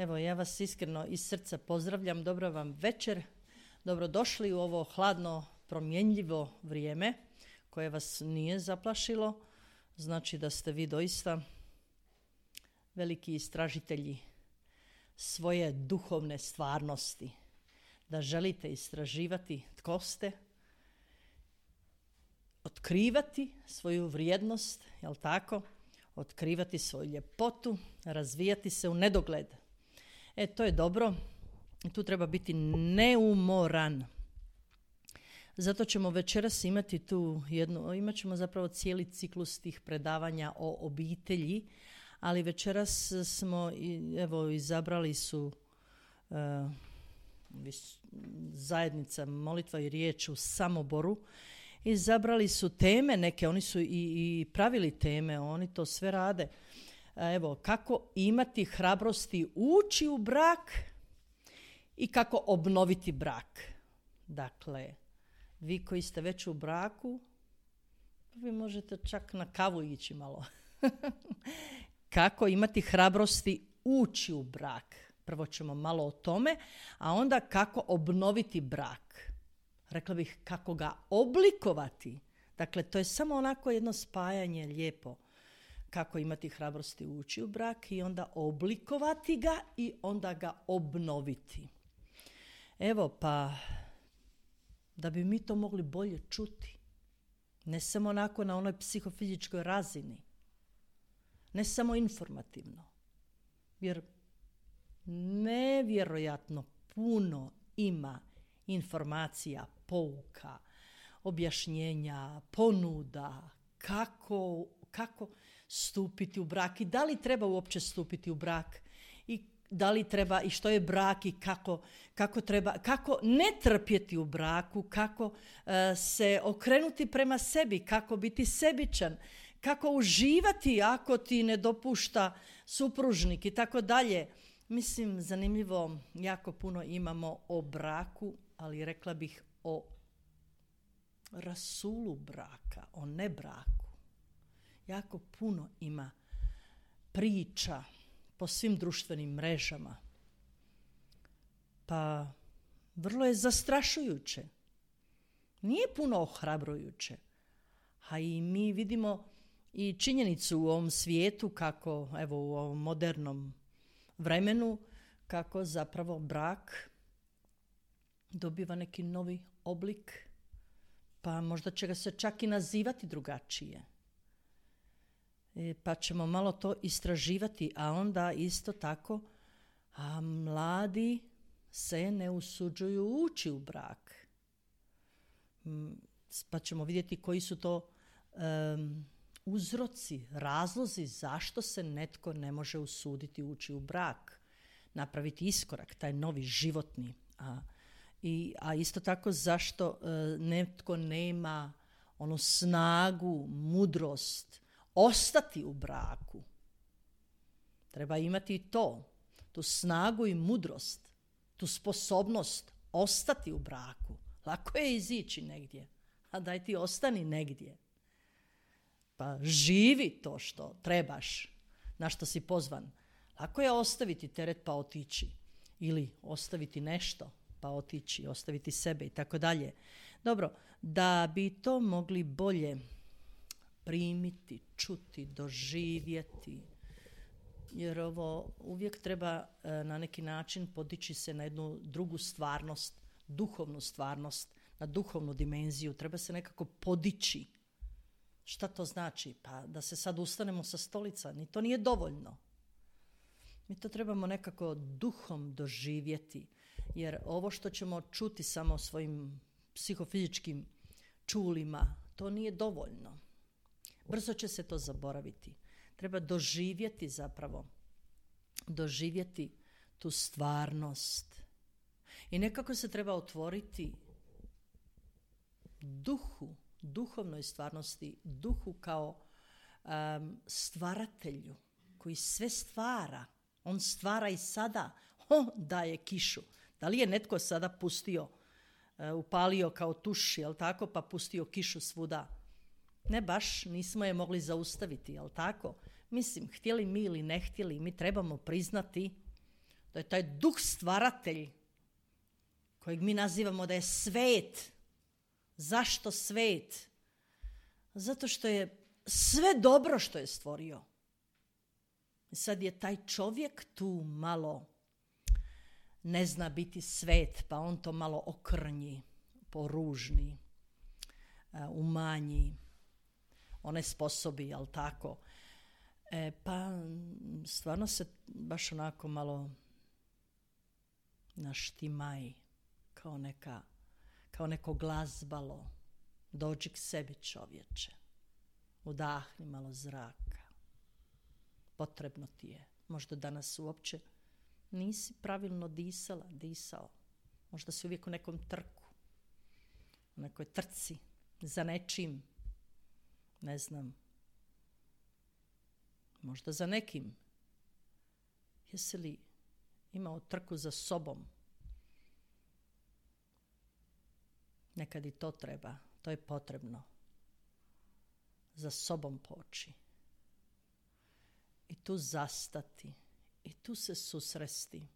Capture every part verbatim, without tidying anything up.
Evo, ja vas iskreno iz srca pozdravljam. Dobro vam večer. Dobrodošli u ovo hladno, promjenljivo vrijeme koje vas nije zaplašilo. Znači da ste vi doista veliki istražitelji svoje duhovne stvarnosti. Da želite istraživati tko ste, otkrivati svoju vrijednost, jel tako? Otkrivati svoju ljepotu, razvijati se u nedogled. E, to je dobro. Tu treba biti neumoran. Zato ćemo večeras imati tu jednu, imat ćemo zapravo cijeli ciklus tih predavanja o obitelji, ali večeras smo, evo, izabrali su uh, zajednica Molitva i riječ u Samoboru, izabrali su teme neke, oni su i, i pravili teme, oni to sve rade. Evo, kako imati hrabrosti ući u brak i kako obnoviti brak. Dakle, vi koji ste već u braku, vi možete čak na kavu ići malo. Kako imati hrabrosti ući u brak. Prvo ćemo malo o tome, a onda kako obnoviti brak. Rekla bih kako ga oblikovati. Dakle, to je samo onako jedno spajanje lijepo. Kako imati hrabrosti ući u brak i onda oblikovati ga i onda ga obnoviti. Evo, pa da bi mi to mogli bolje čuti. Ne samo onako na onoj psihofizičkoj razini. Ne samo informativno. Jer nevjerojatno puno ima informacija, pouka, objašnjenja, ponuda, kako, kako stupiti u brak i da li treba uopće stupiti u brak i da li treba i što je brak i kako, kako treba, kako ne trpjeti u braku, kako uh, se okrenuti prema sebi, kako biti sebičan, kako uživati ako ti ne dopušta supružnik i tako dalje. Mislim, zanimljivo, jako puno imamo o braku, ali rekla bih o rasulu braka, o nebraku. Jako puno ima priča po svim društvenim mrežama. Pa vrlo je zastrašujuće. Nije puno ohrabrujuće. A i mi vidimo i činjenicu u ovom svijetu kako, evo u ovom modernom vremenu, kako zapravo brak dobiva neki novi oblik, pa možda će ga se čak i nazivati drugačije. E, pa ćemo malo to istraživati, a onda isto tako, a mladi se ne usuđuju ući u brak. Pa ćemo vidjeti koji su to um, uzroci, razlozi zašto se netko ne može usuditi ući u brak, napraviti iskorak, taj novi životni. A, i, a isto tako zašto uh, netko nema onu snagu, mudrost, ostati u braku. Treba imati i to, tu snagu i mudrost, tu sposobnost ostati u braku. Lako je izići negdje, a daj ti ostani negdje. Pa živi to što trebaš, na što si pozvan. Lako je ostaviti teret pa otići. Ili ostaviti nešto pa otići, ostaviti sebe i tako dalje. Dobro, da bi to mogli bolje primiti, čuti, doživjeti, jer ovo uvijek treba na neki način podići se na jednu drugu stvarnost, duhovnu stvarnost, na duhovnu dimenziju. Treba se nekako podići. Šta to znači? Pa da se sad ustanemo sa stolica, ni to nije dovoljno. Mi to trebamo nekako duhom doživjeti, jer ovo što ćemo čuti samo svojim psihofizičkim čulima, to nije dovoljno. Brzo će se to zaboraviti. Treba doživjeti zapravo, doživjeti tu stvarnost. I nekako se treba otvoriti duhu, duhovnoj stvarnosti, duhu kao um, stvaratelju koji sve stvara. On stvara i sada. On daje kišu. Da li je netko sada pustio, uh, upalio kao tuš, jel tako, pa pustio kišu svuda? Ne baš, nismo je mogli zaustaviti, jel tako? Mislim, htjeli mi ili ne htjeli, mi trebamo priznati To je taj duh stvaratelj kojeg mi nazivamo da je svet. Zašto svet? Zato što je sve dobro što je stvorio. Sad je taj čovjek tu malo ne zna biti svet, pa on to malo okrnji, poružni, umanji, one sposobi, jel tako? E, pa stvarno se baš onako malo naštimaj, kao, neka, kao neko glazbalo. Dođi k sebi, čovječe. Udahni malo zraka. Potrebno ti je. Možda danas uopće nisi pravilno disala, disao. Možda si uvijek u nekom trku. U nekoj trci. Za nečim. Ne znam. Možda za nekim. Jesi li imao trku za sobom? Nekad i to treba. To je potrebno. Za sobom poći. I tu zastati. I tu se susresti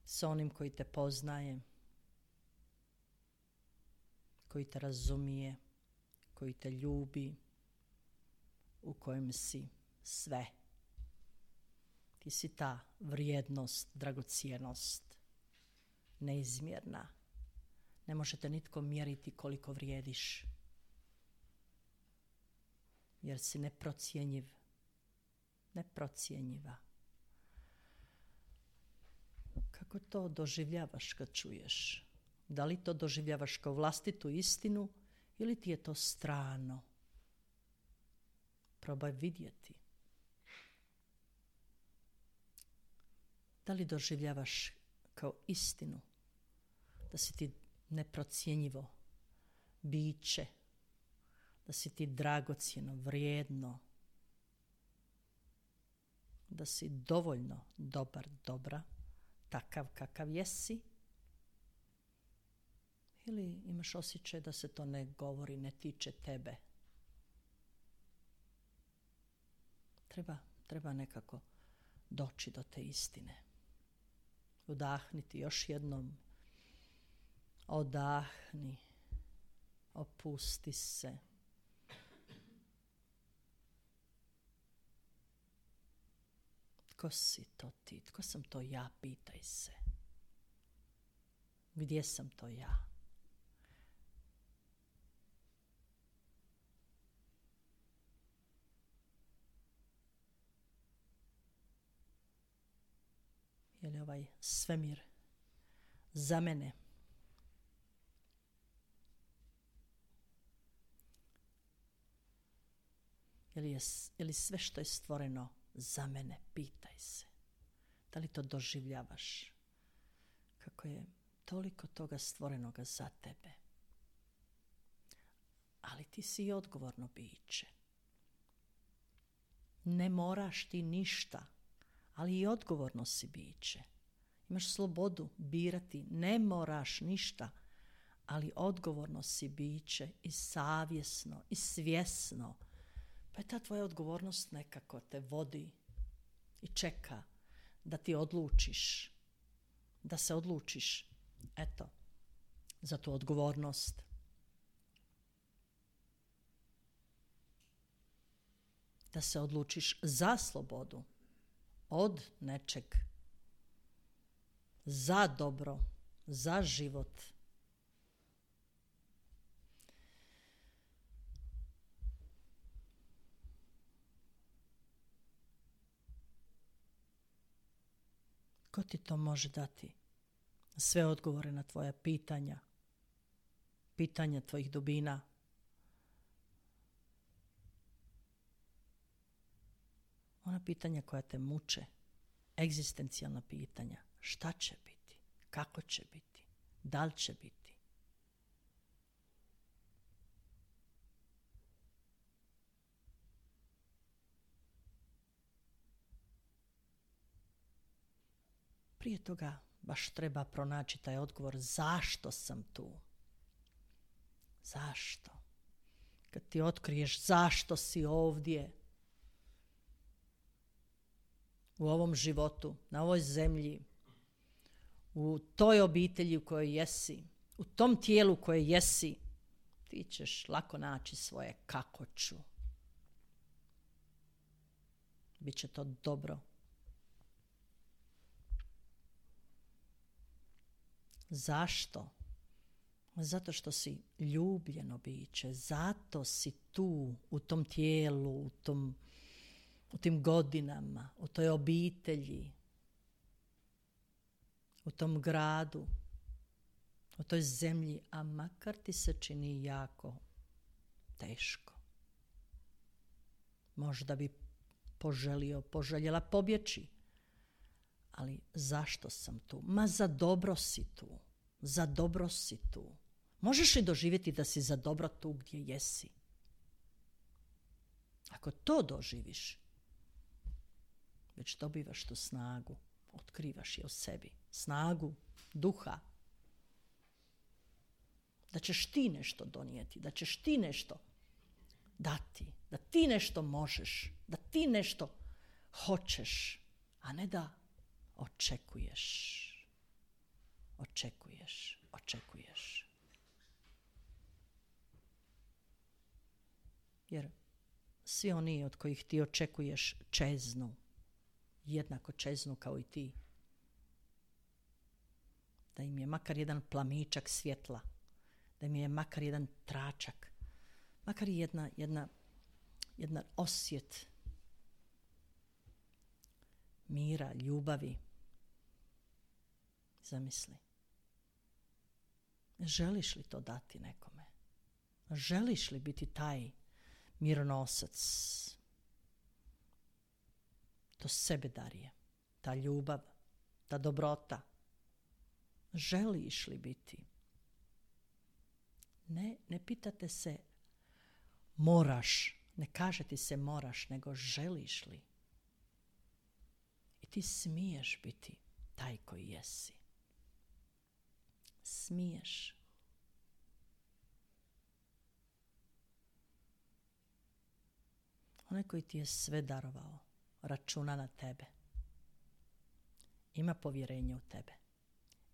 s onim koji te poznaje, koji te razumije, koji te ljubi, u kojem si sve. Ti si ta vrijednost, dragocjenost, neizmjerna. Ne možete nitko mjeriti koliko vrijediš, jer si neprocjenjiv, neprocjenjiva. Kako to doživljavaš kad čuješ? Da li to doživljavaš kao vlastitu istinu ili ti je to strano? Probaj vidjeti. Da li doživljavaš kao istinu da si ti neprocjenjivo biće, da si ti dragocjeno, vrijedno, da si dovoljno dobar, dobra, takav kakav jesi, ili imaš osjećaj da se to ne govori, ne tiče tebe. Treba, treba nekako doći do te istine. Udahniti još jednom. Odahni. Opusti se. Tko si to ti? Tko sam to ja? Pitaj se. Gdje sam to ja? Je li ovaj svemir za mene? Je li, je, je li sve što je stvoreno za mene? Pitaj se. Da li to doživljavaš? Kako je toliko toga stvorenoga za tebe. Ali ti si i odgovorno biće. Ne moraš ti ništa, ali i odgovorno si biće. Imaš slobodu birati, ne moraš ništa, ali odgovorno si biće i savjesno i svjesno. Pa je ta tvoja odgovornost nekako te vodi i čeka da ti odlučiš, da se odlučiš, eto, za tu odgovornost. Da se odlučiš za slobodu od nečeg, za dobro, za život. Ko ti to može dati? Sve odgovore na tvoja pitanja, pitanja tvojih dubina. Ona pitanja koja te muče, egzistencijalna pitanja. Šta će biti? Kako će biti? Da li će biti? Prije toga baš treba pronaći taj odgovor zašto sam tu. Zašto? Kad ti otkriješ zašto si ovdje, u ovom životu, na ovoj zemlji, u toj obitelji u kojoj jesi, u tom tijelu koje jesi, ti ćeš lako naći svoje kako ću. Biće to dobro. Zašto? Zato što si ljubljeno biće, zato si tu, u tom tijelu, u, tom, u tim godinama, u toj obitelji, u tom gradu, u toj zemlji, a makar ti se čini jako teško. Možda bi poželio, poželjela pobjeći, ali zašto sam tu? Ma za dobro si tu, za dobro si tu. Možeš li doživjeti da si za dobro tu gdje jesi? Ako to doživiš, već dobivaš tu snagu, otkrivaš je u sebi, snagu duha, da ćeš ti nešto donijeti, da ćeš ti nešto dati, da ti nešto možeš, da ti nešto hoćeš, a ne da očekuješ, očekuješ, očekuješ. Jer svi oni od kojih ti očekuješ čeznu, jednako čeznu kao i ti. Da im je makar jedan plamičak svjetla, da im je makar jedan tračak, makar jedna, jedna, jedna osjet mira, ljubavi. Zamisli. Želiš li to dati nekome? Želiš li biti taj mironosac? To sebedarje, ta ljubav, ta dobrota. Želiš li biti? Ne, ne pitate se moraš, ne kaže ti se moraš, nego želiš li? I ti smiješ biti taj koji jesi. Smiješ. Onaj koji ti je sve darovao, računa na tebe. Ima povjerenje u tebe.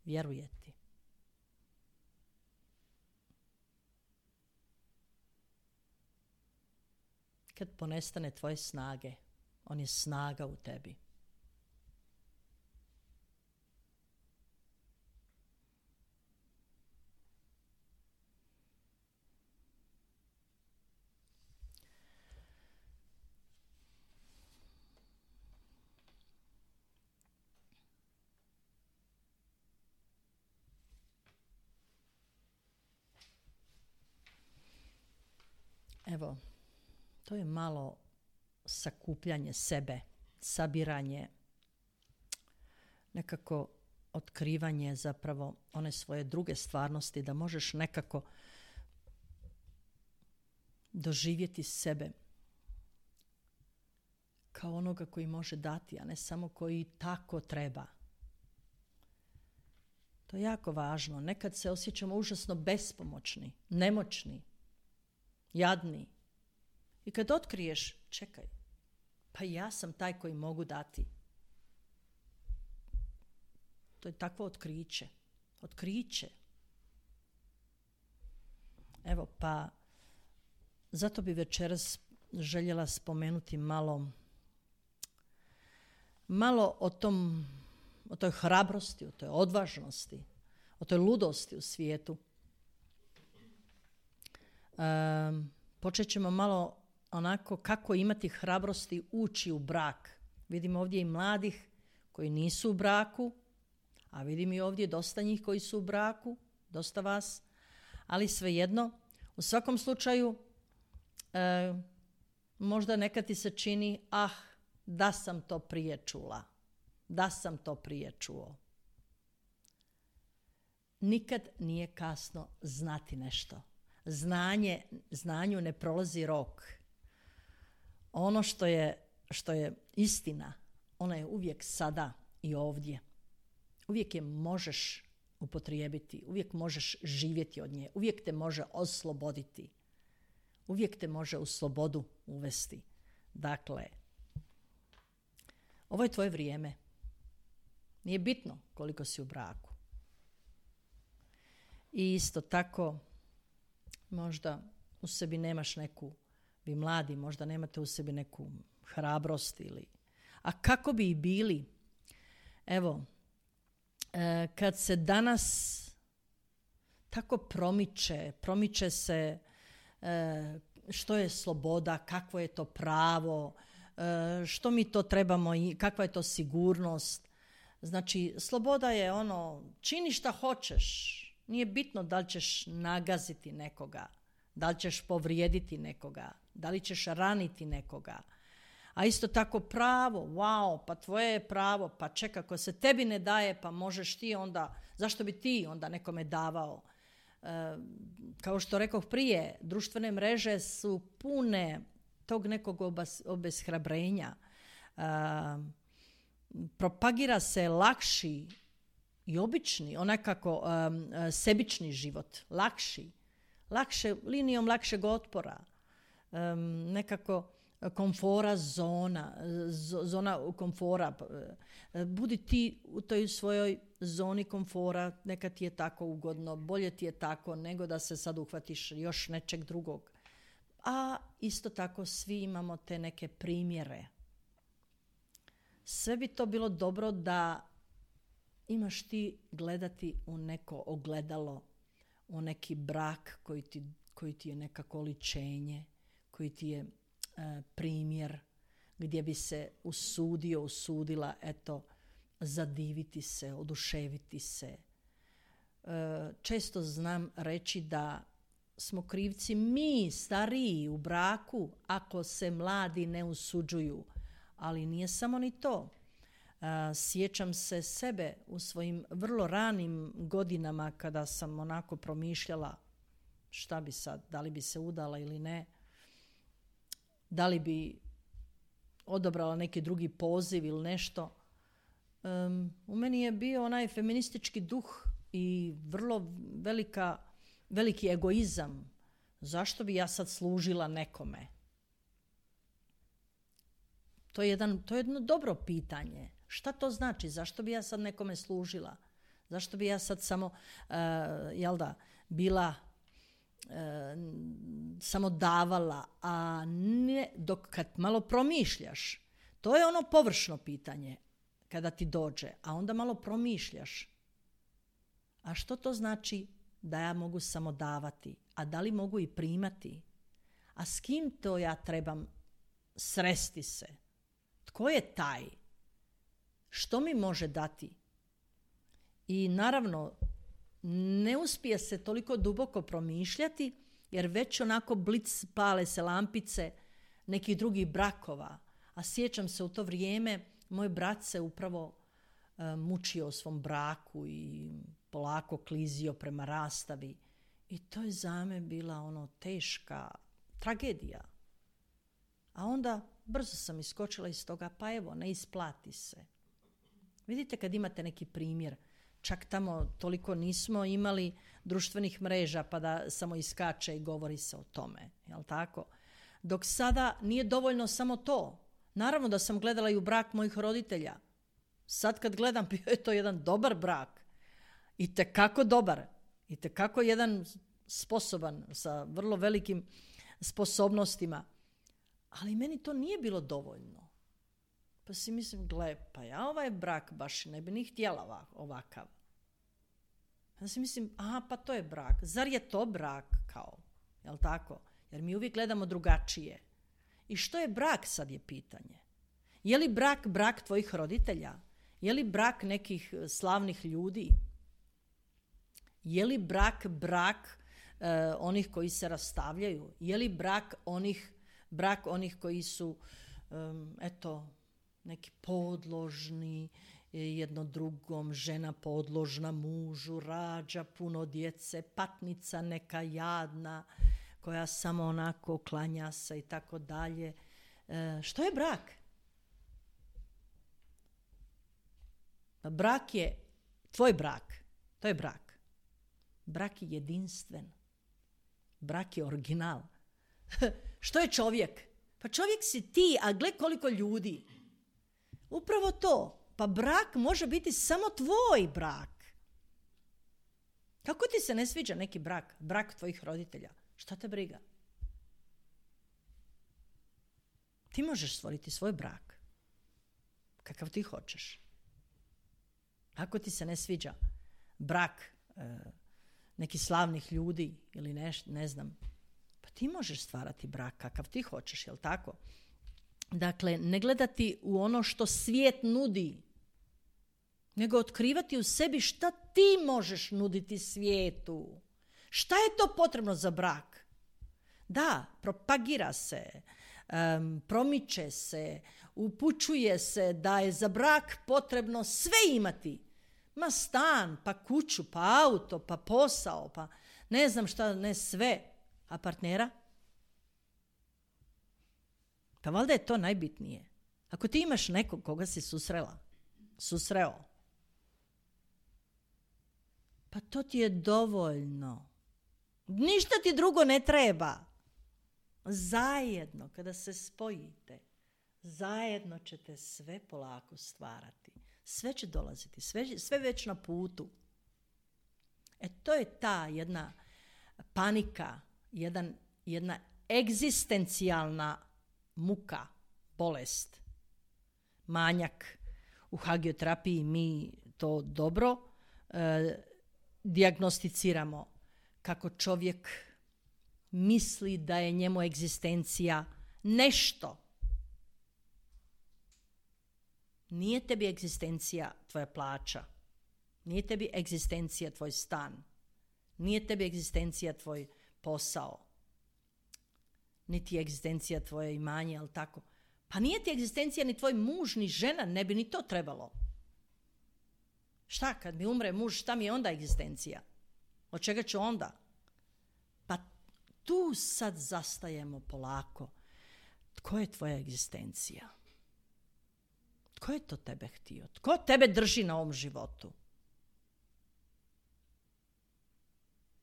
Vjeruje ti. Kad ponestane tvoje snage, on je snaga u tebi. Evo, to je malo sakupljanje sebe, sabiranje, nekako otkrivanje zapravo one svoje druge stvarnosti, da možeš nekako doživjeti sebe kao onoga koji može dati, a ne samo koji tako treba. To je jako važno. Nekad se osjećamo užasno bespomoćni, nemoćni, jadni. I kad otkriješ, čekaj, pa ja sam taj koji mogu dati. To je takvo otkriće. Otkriće. Evo, pa zato bi večeras željela spomenuti malo malo o tom, o toj hrabrosti, o toj odvažnosti, o toj ludosti u svijetu. Um, počet ćemo malo onako kako imati hrabrosti ući u brak. Vidim ovdje i mladih koji nisu u braku, a vidim i ovdje dosta njih koji su u braku, dosta vas, ali svejedno, u svakom slučaju e, možda nekad ti se čini, ah, da sam to prije čula, da sam to prije čuo. Nikad nije kasno znati nešto. Znanje, znanju ne prolazi rok. Ono što je, što je istina, ona je uvijek sada i ovdje. Uvijek je možeš upotrijebiti, uvijek možeš živjeti od nje, uvijek te može osloboditi, uvijek te može u slobodu uvesti. Dakle, Ovo je tvoje vrijeme. Nije bitno koliko si u braku. I isto tako, možda u sebi nemaš neku, vi mladi možda nemate u sebi neku hrabrost ili... A kako bi i bili? Evo, e, kad se danas tako promiče, promiče se e, što je sloboda, kakvo je to pravo, e, što mi to trebamo i kakva je to sigurnost. Znači, sloboda je ono, čini šta hoćeš. Nije bitno da li ćeš nagaziti nekoga, da li ćeš povrijediti nekoga, da li ćeš raniti nekoga. A isto tako pravo, wow, pa tvoje je pravo, pa čeka, ako se tebi ne daje, pa možeš ti onda, zašto bi ti onda nekome davao? E, kao što rekoh prije, društvene mreže su pune tog nekog obas, obeshrabrenja. E, propagira se lakši i obični, onakako um, sebični život, lakši, lakše, linijom lakšeg otpora, um, nekako komfora zona, zona komfora. Budi ti u toj svojoj zoni komfora, neka ti je tako ugodno, bolje ti je tako nego da se sad uhvatiš još nečeg drugog. A isto tako svi imamo te neke primjere. Sve bi to bilo dobro da imaš ti gledati u neko ogledalo, u neki brak koji ti, koji ti je nekako oličenje, koji ti je e, primjer, gdje bi se usudio, usudila, eto, zadiviti se, oduševiti se. E, često znam reći da smo krivci mi, stariji, u braku, ako se mladi ne usuđuju. Ali nije samo ni to. Sjećam se sebe u svojim vrlo ranim godinama kada sam onako promišljala šta bi sad, da li bi se udala ili ne, da li bi odabrala neki drugi poziv ili nešto. Um, u meni je bio onaj feministički duh i vrlo velika, veliki egoizam. Zašto bi ja sad služila nekome? To je, jedan, to je jedno dobro pitanje. Šta to znači? Zašto bi ja sad nekome služila? Zašto bi ja sad samo, uh, jel da, bila, uh, samo davala, a ne, dok kad malo promišljaš, to je ono površno pitanje kada ti dođe, a onda malo promišljaš. A što to znači da ja mogu samo davati? A da li mogu i primati? A s kim to ja trebam sresti se? Tko je taj? Što mi može dati? I naravno, ne uspije se toliko duboko promišljati, jer već onako blic pale se lampice nekih drugih brakova. A sjećam se u to vrijeme, moj brat se upravo uh, mučio u svom braku i polako klizio prema rastavi. I to je za me bila ono teška tragedija. A onda brzo sam iskočila iz toga, pa evo, ne isplati se. Vidite kad imate neki primjer, čak tamo toliko nismo imali društvenih mreža pa da samo iskače i govori se o tome, jel tako? Dok sada nije dovoljno samo to. Naravno da sam gledala i u brak mojih roditelja. Sad kad gledam, bio je to jedan dobar brak. I tekako dobar. I tekako jedan sposoban, sa vrlo velikim sposobnostima. Ali meni to nije bilo dovoljno. Pa si mislim, gle, pa ja ovaj brak baš ne bi ni htjela ovakav. Ja si mislim, aha, pa to je brak. Zar je to brak kao? Jel tako? Jer mi uvijek gledamo drugačije. I što je brak, sad je pitanje. Je li brak brak tvojih roditelja? Je li brak nekih slavnih ljudi? Je li brak brak uh, onih koji se rastavljaju? Je li brak onih, brak onih koji su, um, eto, neki podložni jedno drugom, žena podložna mužu, rađa puno djece, patnica neka jadna, koja samo onako klanja se i tako dalje. E, što je brak? Brak je, tvoj brak, to je brak. Brak je jedinstven. Brak je original. Što je čovjek? Pa čovjek si ti, a gle koliko ljudi. Upravo to. Pa brak može biti samo tvoj brak. Kako ti se ne sviđa neki brak? Brak tvojih roditelja. Šta te briga? Ti možeš stvoriti svoj brak. Kakav ti hoćeš. Ako ti se ne sviđa brak e, nekih slavnih ljudi ili ne, ne znam, pa ti možeš stvarati brak kakav ti hoćeš, jel tako? Dakle, ne gledati u ono što svijet nudi, nego otkrivati u sebi šta ti možeš nuditi svijetu. Šta je to potrebno za brak? Da, propagira se, um, promiče se, upućuje se da je za brak potrebno sve imati. Ma stan, pa kuću, pa auto, pa posao, pa ne znam šta, ne sve. A partnera? Pa valjda je to najbitnije. Ako ti imaš nekog koga si susrela, susreo, pa to ti je dovoljno. Ništa ti drugo ne treba. Zajedno, kada se spojite, zajedno ćete sve polako stvarati. Sve će dolaziti, sve, sve već na putu. E to je ta jedna panika, jedan, jedna egzistencijalna muka, bolest, manjak. U hagioterapiji mi to dobro e, dijagnosticiramo kako čovjek misli da je njemu egzistencija nešto. Nije tebi egzistencija tvoja plaća. Nije tebi egzistencija tvoj stan. Nije tebi egzistencija tvoj posao. Niti egzistencija tvoje imanje, ali tako. Pa nije ti egzistencija ni tvoj muž, ni žena, ne bi ni to trebalo. Šta, kad mi umre muž, šta mi je onda egzistencija? Od čega ću onda? Pa tu sad zastajemo polako. Tko je tvoja egzistencija? Tko je to tebe htio? Tko tebe drži na ovom životu?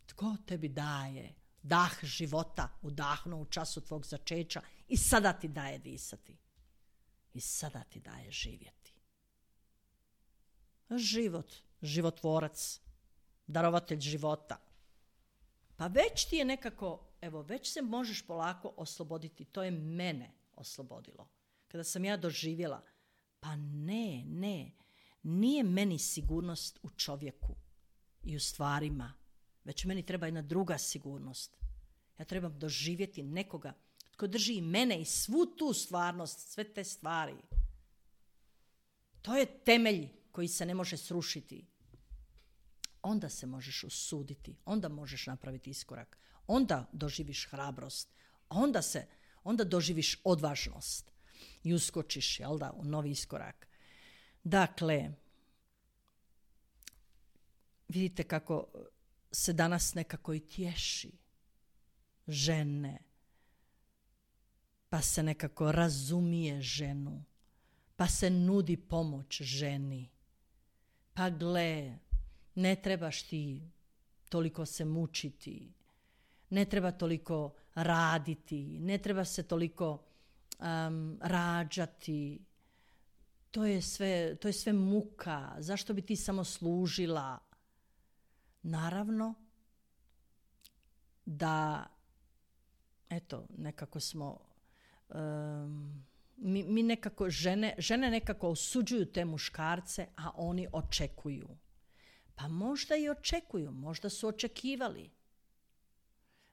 Tko tebi daje dah života, udahnuo u času tvog začeća i sada ti daje disati? I sada ti daje živjeti. Život, životvorac, darovatelj života. Pa već ti je nekako, evo, već se možeš polako osloboditi. To je mene oslobodilo. Kada sam ja doživjela, pa ne, ne, nije meni sigurnost u čovjeku i u stvarima, već meni treba jedna druga sigurnost. Ja trebam doživjeti nekoga tko drži i mene i svu tu stvarnost, sve te stvari. To je temelj koji se ne može srušiti. Onda se možeš usuditi, onda možeš napraviti iskorak, onda doživiš hrabrost, onda se, onda doživiš odvažnost i uskočiš, jel da, u novi iskorak. Dakle, vidite kako se danas nekako i tješi žene, pa se nekako razumije ženu, pa se nudi pomoć ženi. Pa gle, ne trebaš ti toliko se mučiti, ne treba toliko raditi, ne treba se toliko um, rađati. To je sve, to je sve muka. Zašto bi ti samo služila? Naravno da, eto, nekako smo, um, mi, mi nekako, žene, žene nekako osuđuju te muškarce, a oni očekuju. Pa možda i očekuju, možda su očekivali.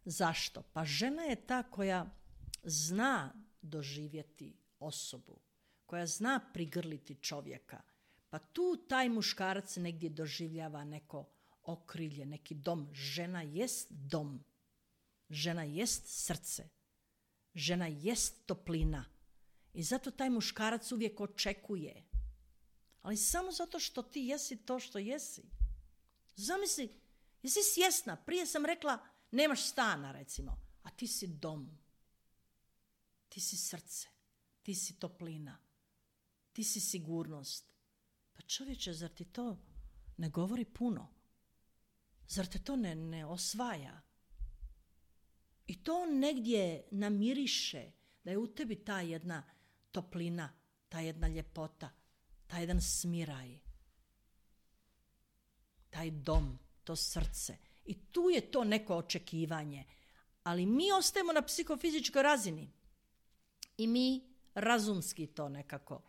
Zašto? Pa žena je ta koja zna doživjeti osobu, koja zna prigrliti čovjeka. Pa tu taj muškarac negdje doživljava neko okrilje, neki dom. Žena jest dom. Žena jest srce. Žena jest toplina. I zato taj muškarac uvijek očekuje. Ali samo zato što ti jesi to što jesi. Zamisli, jesi svjesna, prije sam rekla nemaš stana recimo, a ti si dom. Ti si srce, ti si toplina, ti si sigurnost. Pa čovječe, zar ti to ne govori puno? Zar te to ne, ne osvaja? I to negdje namiriše da je u tebi ta jedna toplina, ta jedna ljepota, taj jedan smiraj, taj dom, to srce. I tu je to neko očekivanje. Ali mi ostajemo na psihofizičkoj razini. I mi razumski to nekako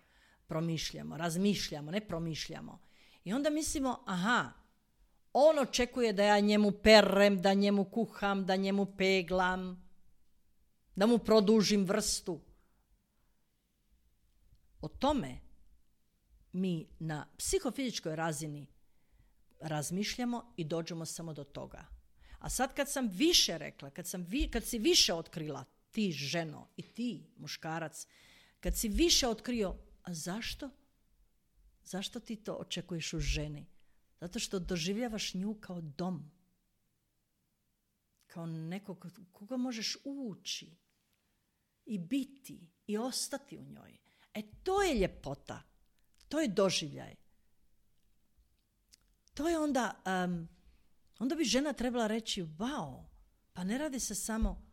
promišljamo, razmišljamo, ne promišljamo. I onda mislimo, aha, on očekuje da ja njemu perem, da njemu kuham, da njemu peglam, da mu produžim vrstu. O tome mi na psihofizičkoj razini razmišljamo i dođemo samo do toga. A sad kad sam više rekla, kad, sam vi, kad si više otkrila, ti ženo i ti muškarac, kad si više otkrio, a zašto? Zašto ti to očekuješ u ženi? Zato što doživljavaš nju kao dom. Kao nekog koga možeš ući i biti i ostati u njoj. E to je ljepota. To je doživljaj. To je onda, um, onda bi žena trebala reći, wow, pa ne radi se samo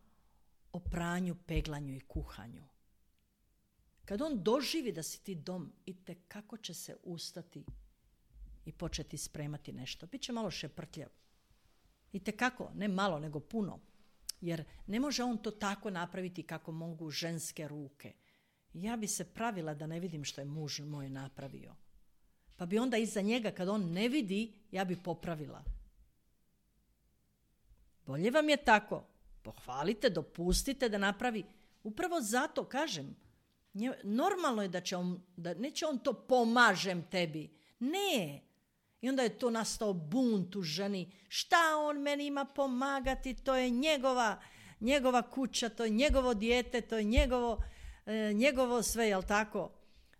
o pranju, peglanju i kuhanju. Kad on doživi da si ti dom, itekako će se ustati i početi spremati nešto. Biće malo šeprtljav. Itekako, ne malo, nego puno. Jer ne može on to tako napraviti kako mogu ženske ruke. Ja bi se pravila da ne vidim što je muž moj napravio. Pa bi onda iza njega, kad on ne vidi, ja bi popravila. Bolje vam je tako. Pohvalite, dopustite da napravi. Upravo zato kažem, normalno je da će on, da neće on to pomažem tebi. Ne. I onda je to nastao bunt u ženi. Šta on meni ima pomagati? To je njegova, njegova kuća, to je njegovo dijete, to je njegovo, e, njegovo sve, jel tako?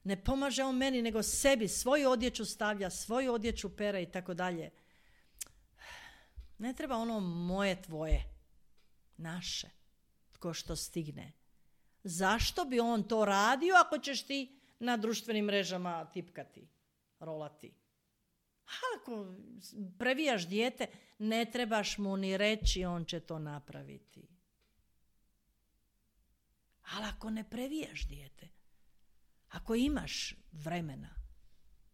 Ne pomaže on meni, nego sebi. Svoju odjeću stavlja, svoju odjeću pere i tako dalje. Ne treba ono moje, tvoje, naše, tko što stigne. Zašto bi on to radio ako ćeš ti na društvenim mrežama tipkati, rolati? A ako previjaš dijete, ne trebaš mu ni reći, on će to napraviti. Ali ako ne previjaš dijete, ako imaš vremena,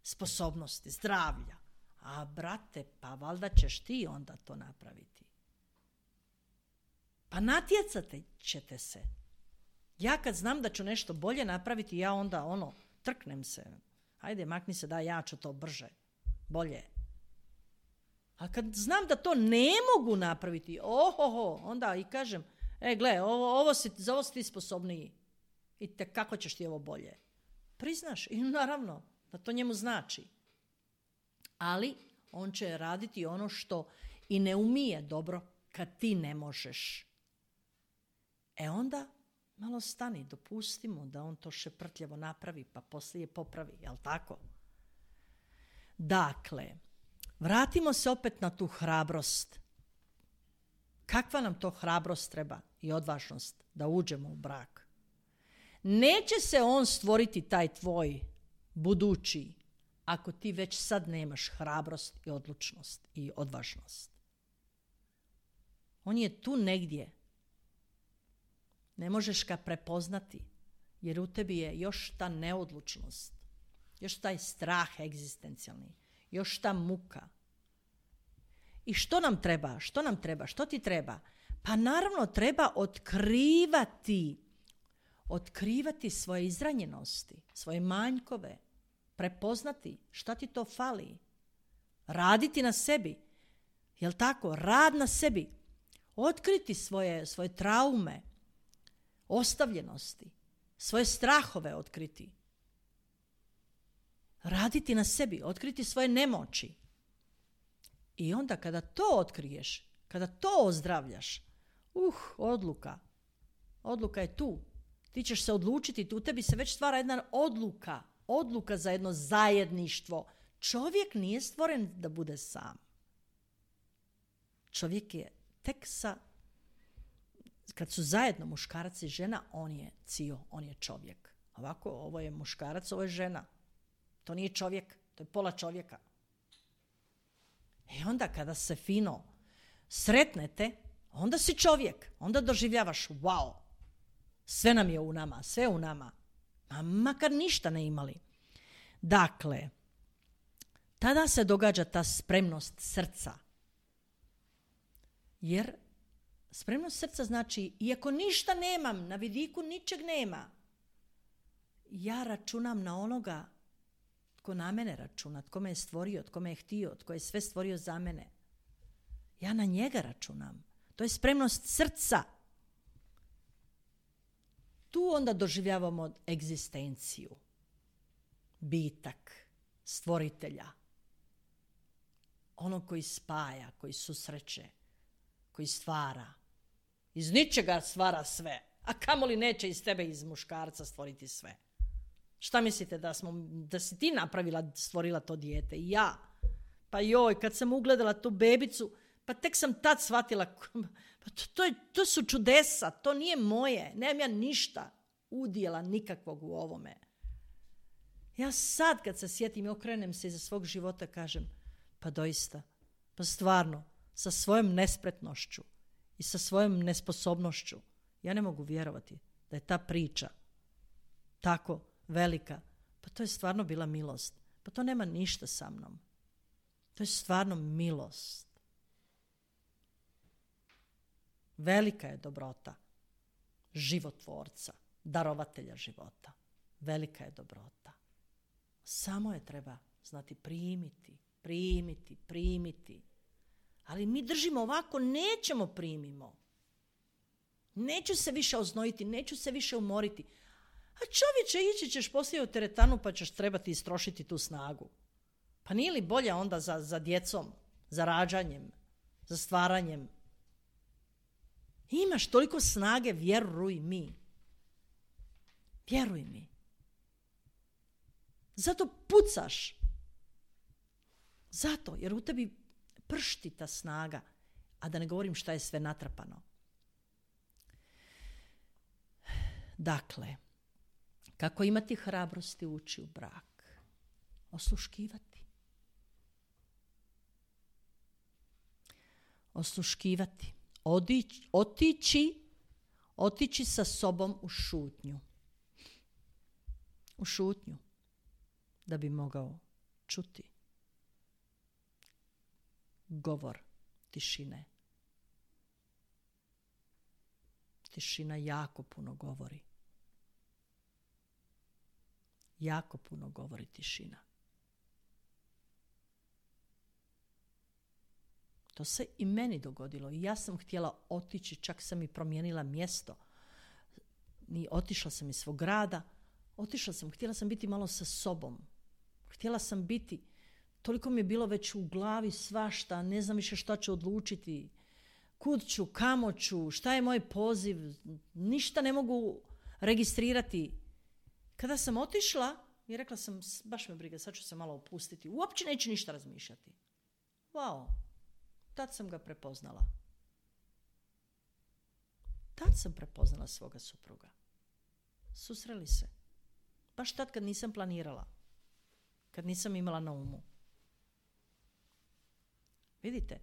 sposobnosti, zdravlja, a brate, pa valjda ćeš ti onda to napraviti. Pa natjecate ćete se. Ja kad znam da ću nešto bolje napraviti, ja onda ono, trknem se. Hajde, makni se da ja ću to brže, bolje. A kad znam da to ne mogu napraviti, ohoho, onda i kažem, e gle, ovo, ovo si, za ovo si ti sposobniji. I te kako ćeš ti ovo bolje? Priznaš i naravno da to njemu znači. Ali on će raditi ono što i ne umije dobro kad ti ne možeš. E onda malo stani, dopusti mu da on to šeprtljavo napravi, pa poslije popravi, jel tako? Dakle, vratimo se opet na tu hrabrost. Kakva nam to hrabrost treba i odvažnost da uđemo u brak? Neće se on stvoriti taj tvoj budući ako ti već sad nemaš hrabrost i odlučnost i odvažnost. On je tu negdje. Ne možeš ga prepoznati jer u tebi je još ta neodlučnost, još taj strah egzistencijalni, još ta muka. I što nam treba? Što nam treba? Što ti treba? Pa naravno treba otkrivati, otkrivati svoje izranjenosti, svoje manjkove, prepoznati šta ti to fali, raditi na sebi, jel tako? Rad na sebi, otkriti svoje, svoje traume, ostavljenosti, svoje strahove otkriti, raditi na sebi, otkriti svoje nemoći. I onda kada to otkriješ, kada to ozdravljaš, uh, odluka, odluka je tu. Ti ćeš se odlučiti, u tebi se već stvara jedna odluka, odluka za jedno zajedništvo. Čovjek nije stvoren da bude sam. Čovjek je tek sa, kad su zajedno muškarac i žena, on je cio, on je čovjek. Ovako, ovo je muškarac, ovo je žena. To nije čovjek, to je pola čovjeka. I onda kada se fino sretnete, onda si čovjek, onda doživljavaš, wow, sve nam je u nama, sve u nama. A makar ništa ne imali. Dakle, tada se događa ta spremnost srca. Jer spremnost srca znači, iako ništa nemam, na vidiku ničeg nema, ja računam na onoga tko na mene računa, tko me je stvorio, tko me je htio, tko je sve stvorio za mene. Ja na njega računam. To je spremnost srca. Tu onda doživljavamo egzistenciju, bitak, stvoritelja, onog koji spaja, koji susreće, koji stvara. Iz ničega stvara sve, a kamoli neće iz tebe, iz muškarca stvoriti sve. Šta mislite da, smo, da si ti napravila, stvorila to dijete? I ja. Pa joj, kad sam ugledala tu bebicu, pa tek sam tad shvatila, pa to, to, je, to su čudesa, to nije moje, nemam ja ništa udjela nikakvog u ovome. Ja sad kad se sjetim i okrenem se iza svog života, kažem, pa doista, pa stvarno, sa svojom nespretnošću i sa svojom nesposobnošću, ja ne mogu vjerovati da je ta priča tako velika. Pa to je stvarno bila milost. Pa to nema ništa sa mnom. To je stvarno milost. Velika je dobrota životvorca, darovatelja života. Velika je dobrota. Samo je treba znati primiti, primiti, primiti. Ali mi držimo ovako, nećemo primimo. Neću se više oznojiti, neću se više umoriti. A čovječe, ići ćeš poslije u teretanu pa ćeš trebati istrošiti tu snagu. Pa nije li bolje onda za, za djecom, za rađanjem, za stvaranjem? Imaš toliko snage, vjeruj mi. Vjeruj mi. Zato pucaš. Zato, jer u tebi pršti ta snaga, a da ne govorim šta je sve natrpano. Dakle, kako imati hrabrosti ući u brak? Osluškivati. Osluškivati. Odići, otići, otići sa sobom u šutnju. U šutnju. Da bi mogao čuti govor tišine. Tišina jako puno govori. Jako puno govori tišina. To se i meni dogodilo. I ja sam htjela otići, čak sam i promijenila mjesto. I otišla sam iz svog grada. Otišla sam, htjela sam biti malo sa sobom. Htjela sam biti, toliko mi je bilo već u glavi svašta, ne znam više šta ću odlučiti. Kud ću, kamo ću, šta je moj poziv, ništa ne mogu registrirati. Kada sam otišla i rekla sam, baš me briga, sad ću se malo opustiti, uopće neću ništa razmišljati. Wow, tad sam ga prepoznala. Tad sam prepoznala svoga supruga. Susreli se. Baš tad kad nisam planirala. Kad nisam imala na umu. Vidite,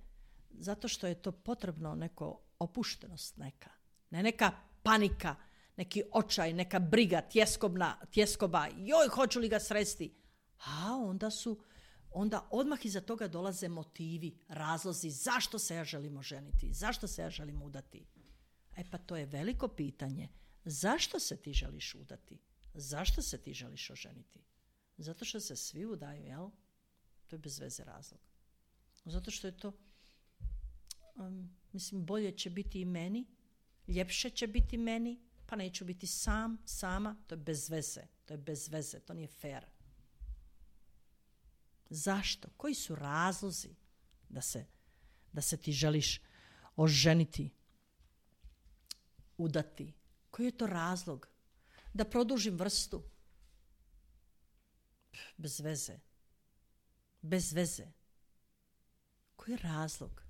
zato što je to potrebno neko opuštenost neka. Ne neka panika, neki očaj, neka briga, tjeskobna, tjeskoba, joj, hoću li ga sresti? A onda su, onda odmah iza toga dolaze motivi, razlozi, zašto se ja želim oženiti, zašto se ja želim udati. E pa to je veliko pitanje. Zašto se ti želiš udati? Zašto se ti želiš oženiti? Zato što se svi udaju, jel? To je bez veze razlog. Zato što je to, um, mislim, bolje će biti i meni, ljepše će biti meni, pa neću biti sam, sama, to je bez veze, to je bez veze, to nije fair. Zašto? Koji su razlozi da se, da se ti želiš oženiti, udati? Koji je to razlog? Da produžim vrstu? Bez veze. Bez veze. Koji je razlog?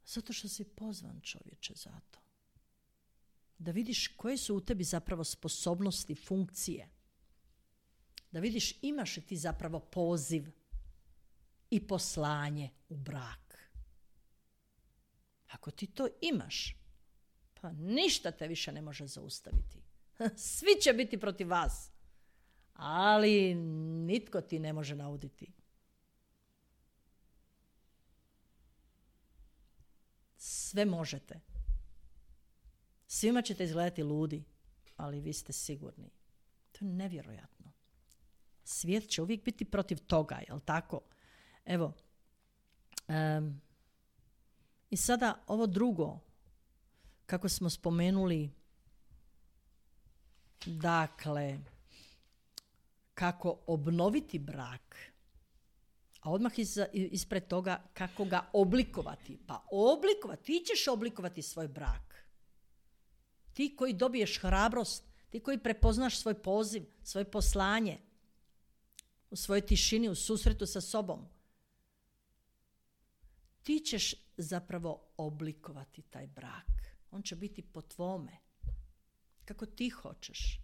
Zato što si pozvan, čovječe, za to. Da vidiš koje su u tebi zapravo sposobnosti, funkcije. Da vidiš imaš li ti zapravo poziv i poslanje u brak. Ako ti to imaš, pa ništa te više ne može zaustaviti. Svi će biti protiv vas. ali nitko ti ne može nauditi. Sve možete. Svima ćete izgledati ludi, ali vi ste sigurni. To je nevjerojatno. Svijet će uvijek biti protiv toga, jel tako? Evo, um, i sada ovo drugo, kako smo spomenuli, dakle, kako obnoviti brak, a odmah iz, ispred toga kako ga oblikovati. Pa oblikovati, ti ćeš oblikovati svoj brak. Ti koji dobiješ hrabrost, ti koji prepoznaš svoj poziv, svoje poslanje, u svojoj tišini, u susretu sa sobom. Ti ćeš zapravo oblikovati taj brak. On će biti po tvome. Kako ti hoćeš.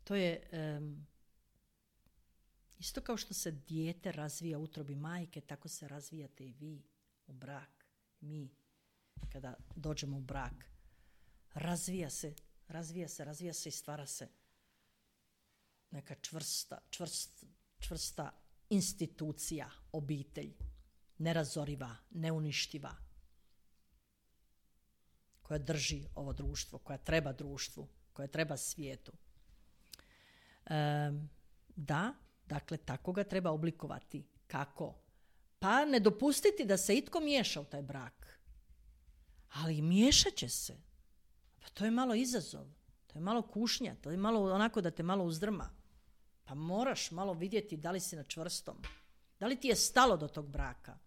To je um, isto kao što se dijete razvija u utrobi majke, tako se razvijate i vi u brak. Mi, kada dođemo u brak, razvija se, razvija se, razvija se i stvara se neka čvrsta, čvrst, čvrsta institucija, obitelj, nerazoriva, neuništiva, koja drži ovo društvo, koja treba društvu, koja treba svijetu. E, da, dakle, tako ga treba oblikovati. Kako? Pa ne dopustiti da se itko miješa u taj brak. Ali miješat će se. Pa to je malo izazov. To je malo kušnja. To je malo onako da te malo uzdrma. Pa moraš malo vidjeti da li si na čvrstom. Da li ti je stalo do tog braka.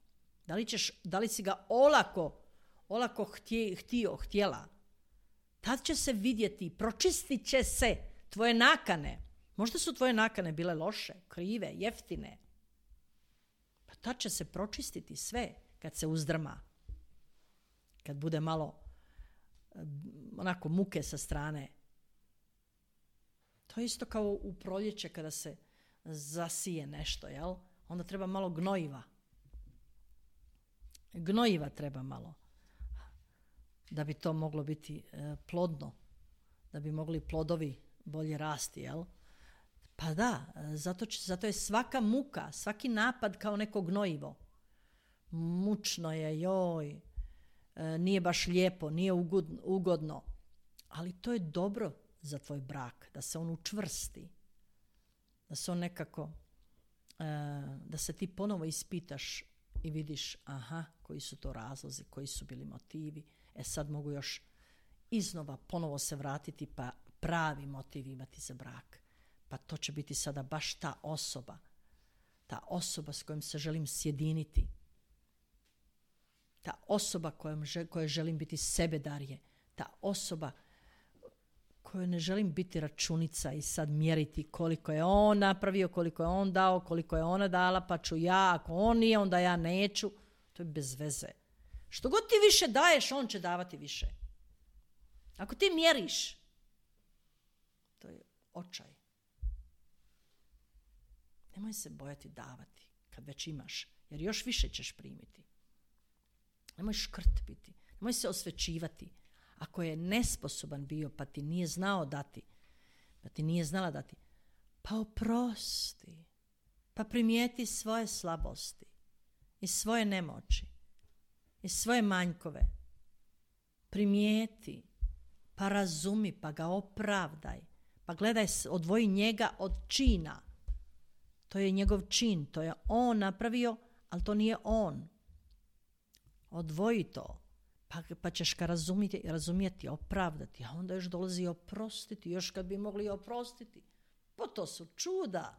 Da li, ćeš, da li si ga olako, olako htje, htio, htjela. Tad će se vidjeti, pročistit će se tvoje nakane. Možda su tvoje nakane bile loše, krive, jeftine. Pa tad će se pročistiti sve kad se uzdrma. Kad bude malo onako muke sa strane. To je isto kao u proljeće kada se zasije nešto, jel? Onda treba malo gnojiva. Gnojiva treba malo. Da bi to moglo biti e, plodno. Da bi mogli plodovi bolje rasti, jel? Pa da, zato, će, zato je svaka muka, svaki napad kao neko gnojivo. Mučno je, joj, e, nije baš lijepo, nije ugodno, ugodno. Ali to je dobro za tvoj brak, da se on učvrsti. Da se on nekako, e, da se ti ponovo ispitaš i vidiš, aha, koji su to razlozi, koji su bili motivi. E sad mogu još iznova ponovo se vratiti pa pravi motiv imati za brak. Pa to će biti sada baš ta osoba. Ta osoba s kojom se želim sjediniti. Ta osoba kojom kojoj želim biti sebedarje. Ta osoba kojoj ne želim biti računica i sad mjeriti koliko je on napravio, koliko je on dao, koliko je ona dala, pa ću ja, ako on nije, onda ja neću. To je bez veze. Što god ti više daješ, on će davati više. Ako ti mjeriš, to je očaj. Nemoj se bojati davati kad već imaš, jer još više ćeš primiti. Nemoj škrt biti, nemoj se osvećivati. Ako je nesposoban bio pa ti nije znao dati, pa ti nije znala dati, pa oprosti, pa primijeti svoje slabosti i svoje nemoći i svoje manjkove. Primijeti, pa razumi, pa ga opravdaj, pa gledaj, odvoji njega od čina. To je njegov čin, to je on napravio, ali to nije on. Odvoji to, pa, pa ćeš ga razumjeti, razumjeti, opravdati, a onda još dolazi oprostiti, još kad bi mogli oprostiti. Pa to su čuda.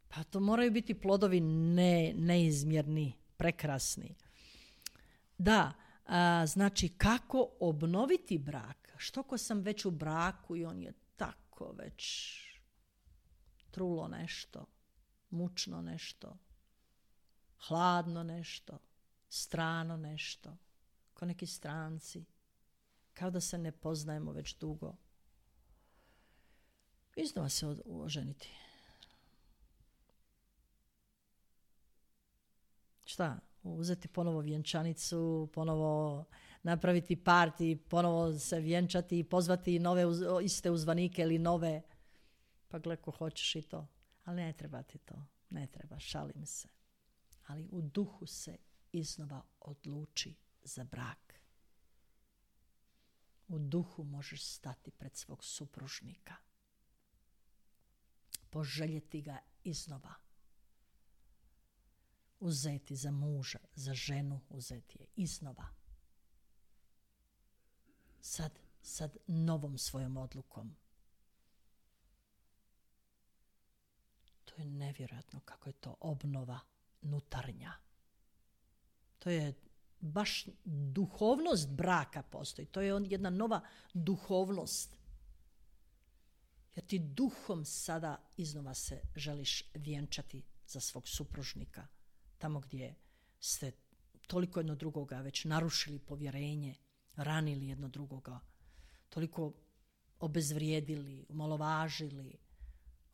Pa to moraju biti plodovi ne, neizmjerni, prekrasni. Da, a, znači kako obnoviti brak? Što ko sam već u braku i on je tako već trulo nešto, mučno nešto, hladno nešto, strano nešto, kao neki stranci, kao da se ne poznajemo već dugo. Iznova se oženiti. Šta? uzeti ponovo vjenčanicu, ponovo napraviti parti, ponovo se vjenčati i pozvati nove uz, iste uzvanike ili nove. Pa gle ko hoćeš i to. Ali ne treba ti to. Ne treba, šalim se. Ali u duhu se iznova odluči za brak. U duhu možeš stati pred svog supružnika. Poželjeti ga iznova. Uzeti za muža, za ženu uzeti je iznova. Sad, sad novom svojom odlukom. To je nevjerojatno kako je to obnova nutarnja. To je baš duhovnost braka postoji. To je jedna nova duhovnost. Jer ti duhom sada iznova se želiš vjenčati za svog supružnika. Tamo gdje ste toliko jedno drugoga već narušili povjerenje, ranili jedno drugoga, toliko obezvrijedili, umalovažili.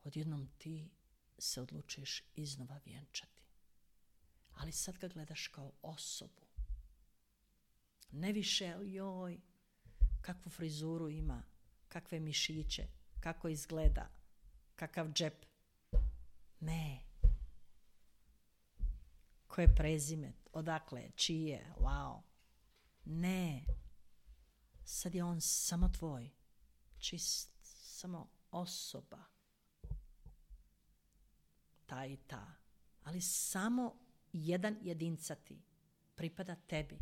Odjednom ti se odlučuješ iznova vjenčati. Ali sad ga gledaš kao osobu. Ne više, joj, kakvu frizuru ima, kakve mišiće, kako izgleda, kakav džep. Ne. Koje prezime, odakle, čije, wow. Ne. Sad je on samo tvoj, čist, samo osoba. Ta i ta. Ali samo jedan jedincati pripada tebi.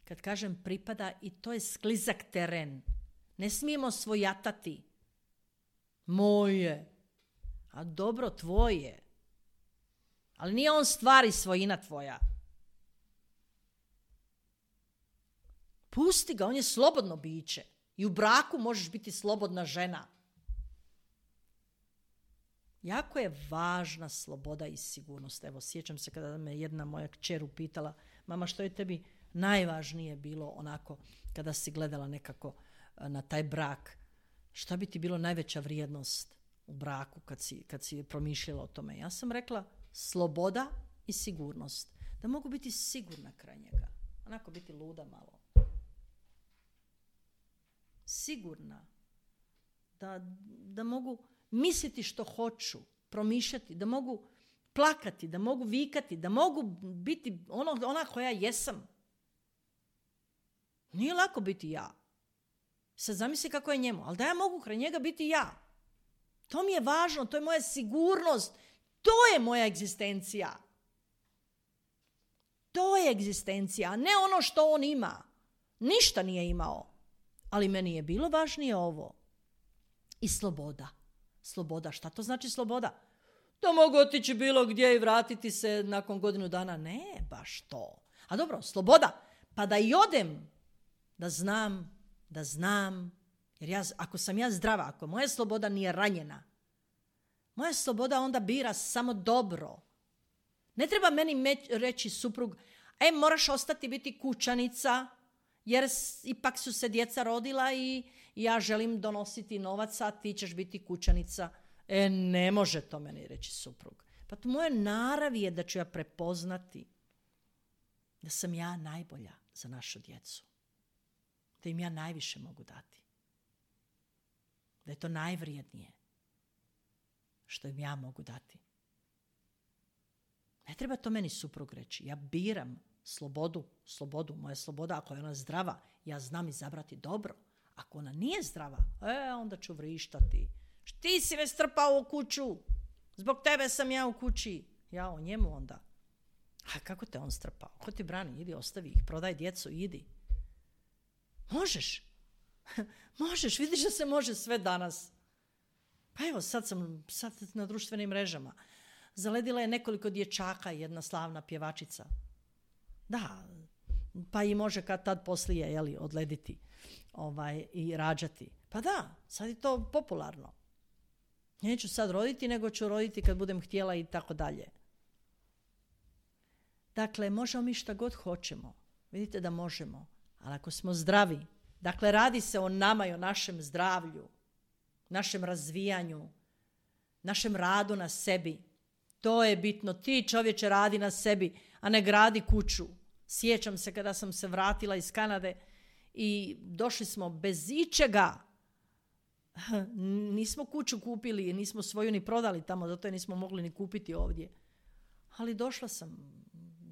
Kad kažem pripada, i to je sklizak teren. Ne smijemo svojatati. Moje. A dobro, tvoje. Ali nije on stvar i svojina tvoja. Pusti ga, on je slobodno biće. I u braku možeš biti slobodna žena. Jako je važna sloboda i sigurnost. Evo, sjećam se kada me jedna moja kćer upitala, mama, što je tebi najvažnije bilo onako kada si gledala nekako na taj brak? Šta bi ti bilo najveća vrijednost u braku kad si, kad si promišljala o tome? Ja sam rekla sloboda i sigurnost. Da mogu biti sigurna kraj njega. Onako biti luda malo. Sigurna. Da, da mogu misliti što hoću, promišljati, da mogu plakati, da mogu vikati, da mogu biti ono, ona koja jesam. Nije lako biti ja. Sad zamisli kako je njemu, ali da ja mogu kraj njega biti ja. To mi je važno, to je moja sigurnost, to je moja egzistencija. To je egzistencija, a ne ono što on ima. Ništa nije imao, ali meni je bilo važnije ovo. I sloboda. Sloboda, šta to znači sloboda? Da mogu otići bilo gdje i vratiti se nakon godinu dana. Ne, baš to. A dobro, sloboda, pa da i odem, da znam, da znam, jer ja, ako sam ja zdrava, ako moja sloboda nije ranjena, moja sloboda onda bira samo dobro. Ne treba meni meč, reći suprug, e, moraš ostati biti kućanica, jer ipak su se djeca rodila i ja želim donositi novac, a ti ćeš biti kućanica. E, ne može to meni reći suprug. Pa to moje naravi je da ću ja prepoznati da sam ja najbolja za našu djecu. Da im ja najviše mogu dati. Da je to najvrijednije što im ja mogu dati. Ne treba to meni suprug reći. Ja biram slobodu, slobodu, moja sloboda, ako je ona zdrava, ja znam izabrati dobro. Ako ona nije zdrava, e, onda ću vrištati. Ti si me strpao u kuću, zbog tebe sam ja u kući. Ja o njemu onda. A kako te on strpao? Ko ti brani? Idi, ostavi ih, prodaj djecu, idi. Možeš. Možeš, vidiš da se može sve danas. Pa evo, sad sam sad na društvenim mrežama. Zaledila je nekoliko dječaka, jedna slavna pjevačica. Da, pa i može kad tad poslije, jeli, odlediti ovaj, i rađati. Pa da, sad je to popularno. Neću sad roditi, nego ću roditi kad budem htjela i tako dalje. Dakle, možemo mi šta god hoćemo. Vidite da možemo. Ali ako smo zdravi, dakle, radi se o nama i o našem zdravlju, našem razvijanju, našem radu na sebi. To je bitno. Ti, čovječe, radi na sebi, a a ne gradi kuću. Sjećam se kada sam se vratila iz Kanade i došli smo bez ičega. Nismo kuću kupili, nismo svoju ni prodali tamo, zato je nismo mogli ni kupiti ovdje. Ali došla sam,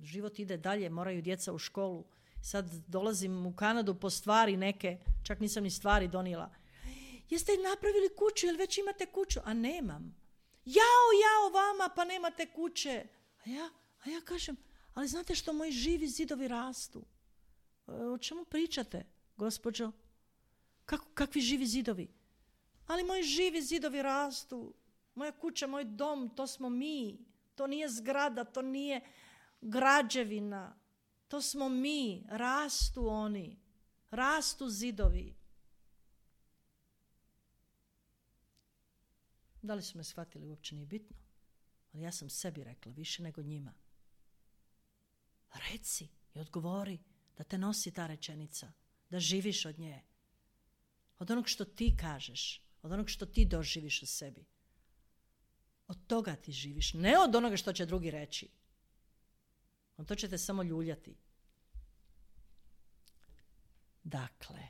život ide dalje, moraju djeca u školu. Sad dolazim u Kanadu po stvari neke, čak nisam ni stvari donijela. Jeste napravili kuću, jel već imate kuću? A nemam. Jao, jao vama, pa nemate kuće. A ja, a ja kažem, ali znate što moji živi zidovi rastu? O čemu pričate, gospođo? Kako, kakvi živi zidovi? Ali moji živi zidovi rastu. Moja kuća, moj dom, to smo mi. To nije zgrada, to nije građevina. To smo mi. Rastu oni. Rastu zidovi. Da li su me shvatili, uopće nije bitno. Ali ja sam sebi rekla, više nego njima. Reci i odgovori da te nosi ta rečenica. Da živiš od nje. Od onog što ti kažeš. Od onog što ti doživiš u sebi. Od toga ti živiš. Ne od onoga što će drugi reći. On to će te samo ljuljati. Dakle.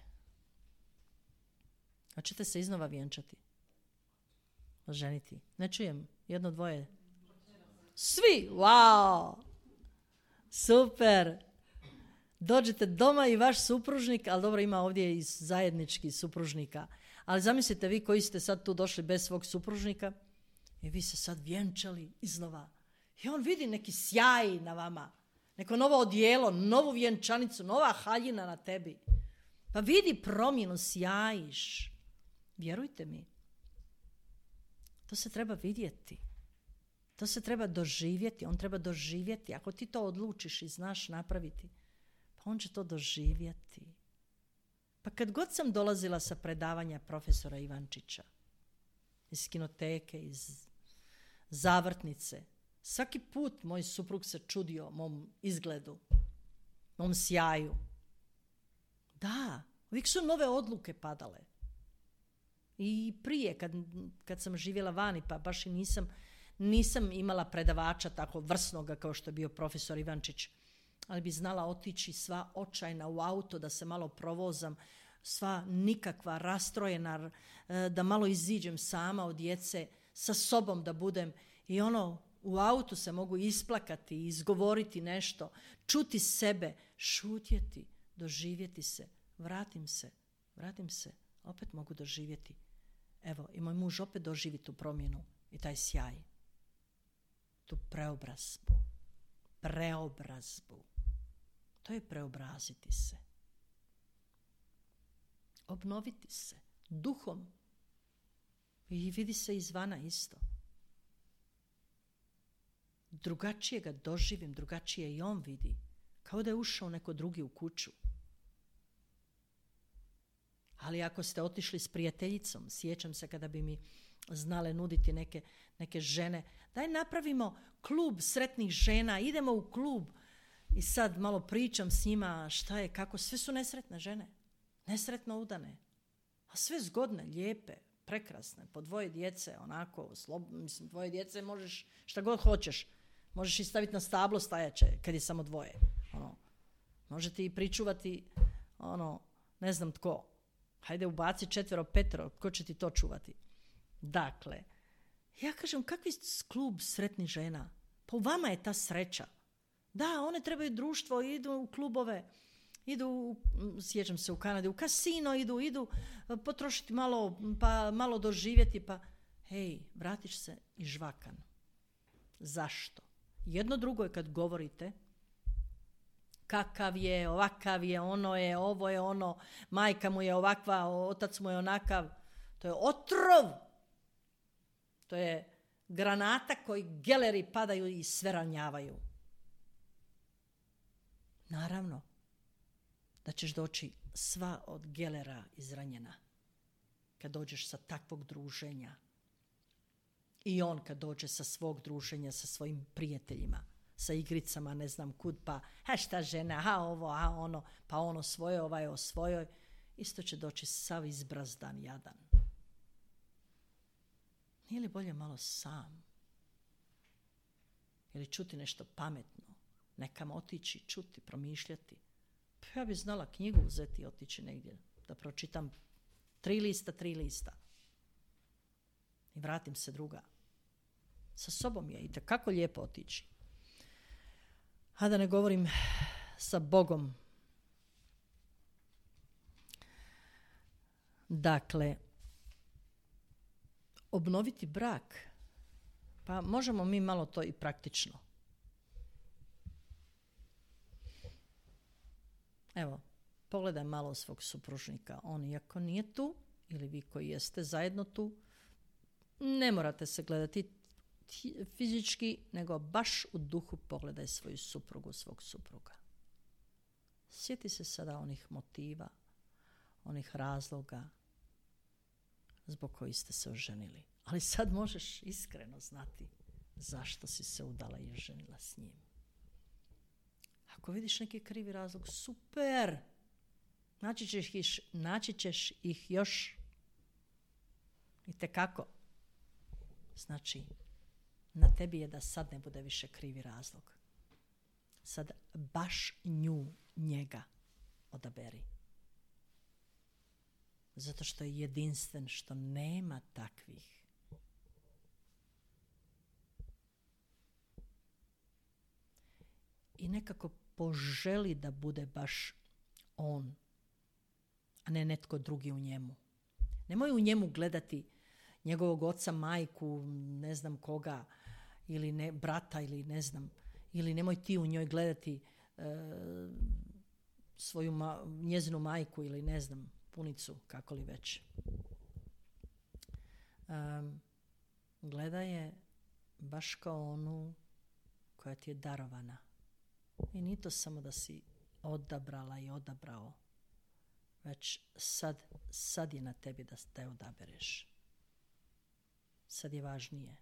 Hoćete se iznova vjenčati? Oženiti? Ne čujem. Jedno, dvoje. Svi! Wow! Super! Dođete doma i vaš supružnik, ali dobro, ima ovdje i zajednički supružnika. Ali zamislite vi koji ste sad tu došli bez svog supružnika i vi se sad vjenčali iznova. I on vidi neki sjaj na vama, neko novo odijelo, novu vjenčanicu, nova haljina na tebi. Pa vidi promjenu, sjajiš. Vjerujte mi. To se treba vidjeti. To se treba doživjeti. On treba doživjeti. Ako ti to odlučiš i znaš napraviti, pa on će to doživjeti. Pa kad god sam dolazila sa predavanja profesora Ivančića, iz kinoteke, iz zavrtnice, svaki put moj suprug se čudio mom izgledu, mom sjaju. Da, uvijek su nove odluke padale. I prije, kad, kad sam živjela vani, pa baš i nisam, nisam imala predavača tako vrsnoga kao što je bio profesor Ivančić, ali bi znala otići sva očajna u auto da se malo provozam, sva nikakva, rastrojena, da malo iziđem sama od djece, sa sobom da budem i ono, u autu se mogu isplakati, izgovoriti nešto, čuti sebe, šutjeti, doživjeti se, vratim se, vratim se, opet mogu doživjeti. Evo, i moj muž opet doživi tu promjenu i taj sjaj, tu preobrazbu, preobrazbu. To je preobraziti se. Obnoviti se duhom. I vidi se izvana isto. Drugačije ga doživim, drugačije i on vidi. Kao da je ušao neko drugi u kuću. Ali ako ste otišli s prijateljicom, sjećam se kada bi mi znale nuditi neke, neke žene, daj napravimo klub sretnih žena, idemo u klub. I sad malo pričam s njima šta je, kako, sve su nesretne žene. Nesretno udane. A sve zgodne, lijepe, prekrasne, po dvoje djece, onako, slob, mislim, dvoje djece možeš šta god hoćeš. Možeš i staviti na stablo stajaće, kad je samo dvoje. Ono, možete i pričuvati, ono, ne znam tko. Hajde ubaci četvero, petero, tko će ti to čuvati? Dakle, ja kažem, kakvi klub sretnih žena? Pa u vama je ta sreća. Da, one trebaju društvo, idu u klubove, idu, sjećam se u Kanadi, u kasino idu, idu potrošiti malo, pa malo doživjeti, pa hej, vratiš se i žvakan. Zašto? Jedno drugo je kad govorite kakav je, ovakav je, ono je, ovo je ono, majka mu je ovakva, otac mu je onakav. To je otrov. To je granata koji geleri padaju i sve ranjavaju. Naravno da ćeš doći sva od gelera izranjena kad dođeš sa takvog druženja. I on kad dođe sa svog druženja, sa svojim prijateljima, sa igricama, ne znam kud, pa ha šta žena, ha ovo, ha ono, pa ono svoje, ovaj o svojoj, isto će doći sav izbrazdan jadan. Nije li bolje malo sam? Ili čuti nešto pametno? nekam otići, čuti, promišljati. Pa ja bi znala knjigu uzeti i otići negdje, da pročitam tri lista, tri lista. I vratim se druga. Sa sobom je itekako lijepo otići. A da ne govorim sa Bogom. Dakle, obnoviti brak, pa možemo mi malo to i praktično. Evo, pogledaj malo svog supružnika. On iako nije tu, ili vi koji jeste zajedno tu, ne morate se gledati fizički, nego baš u duhu pogledaj svoju suprugu, svog supruga. Sjeti se sada onih motiva, onih razloga zbog kojih ste se oženili. Ali sad možeš iskreno znati zašto si se udala i oženila s njim. Ako vidiš neki krivi razlog, super! Naći ćeš ih, naći ćeš ih još itekako. Znači, na tebi je da sad ne bude više krivi razlog. Sad baš nju, njega odaberi. Zato što je jedinstven, što nema takvih. I nekako poželi da bude baš on, a ne netko drugi u njemu. Nemoj u njemu gledati njegovog oca, majku, ne znam koga, ili ne, brata, ili ne znam, ili nemoj ti u njoj gledati e, svoju ma, njezinu majku, ili ne znam, punicu, kako li već. Um, gledaj je baš kao onu koja ti je darovana. I nije to samo da si odabrala i odabrao, već sad, sad je na tebi da te odabereš. Sad je važnije.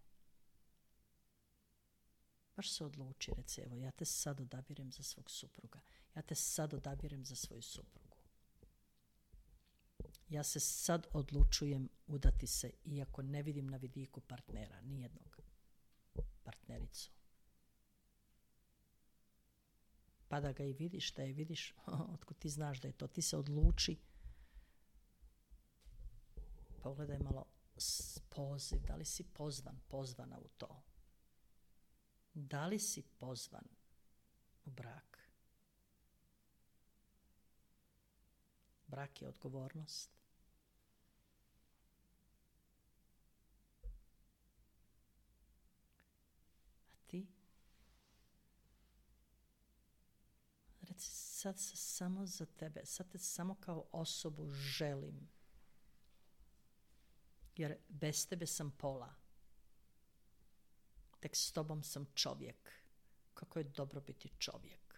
Baš se odluči, reci, evo, ja te sad odabirem za svog supruga. Ja te sad odabirem za svoju suprugu. Ja se sad odlučujem udati se, iako ne vidim na vidiku partnera, nijednog partnericu. Pa da ga i vidiš, da je vidiš, otkud ti znaš da je to, ti se odluči. Pogledaj malo poziv, da li si pozvan, pozvana u to. Da li si pozvan u brak? Brak je odgovornost. A ti? Reci, sad se samo za tebe, sad te samo kao osobu želim. Jer bez tebe sam pola. Tek s tobom sam čovjek. Kako je dobro biti čovjek.